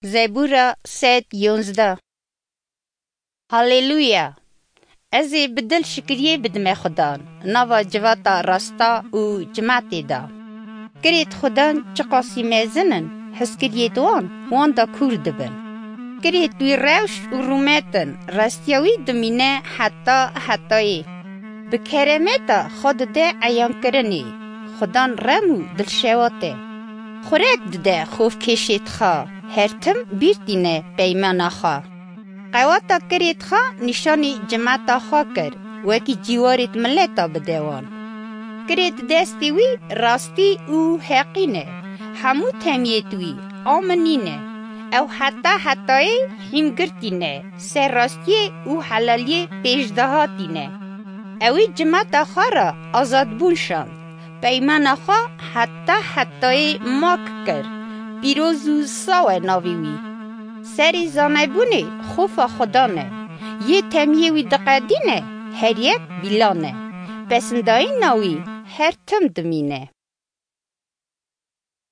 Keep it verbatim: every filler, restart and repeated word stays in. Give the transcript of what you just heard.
Zebûra sed yonzdeh. Haleluya! Ez ê bi dil şikriyê bidime Xudan, nava civata rasta û cimatê de. Kirêt Xudan çiqasî mezin in, hizkiriyêt wan, wan de kûr dibin. Kirêt wî rewş û rûmet in, restiya wî dimîne heta hetayê. Bi keremeta xwe dide eyankirinê, Xudan rem û dilşewat e. Xurek dide xofkêşêt xwe, her tim bîr tîne peymana xwe. Qewata kirêt xwe nîşanî cimeta xwe kir, wekî cîwarêt mileta bide wan. Kirêt destê wî rastî û heqî ne, hemû temiyêt wî aminî ne. Ew heta hetayê hîmgirtî ne, ser rastiyê û helaliyê pêşdahatî ne. Ewî cimeta xwe re azadbûn şand. Peymana xwe heta hetayê mak kir. Pîroz û saw e navê wî. Serê zanebûnê xofa Xudan e. Yê temiyê wî diqedîne, her yek bîlan e. Pesindayîna wî her tim dimîne.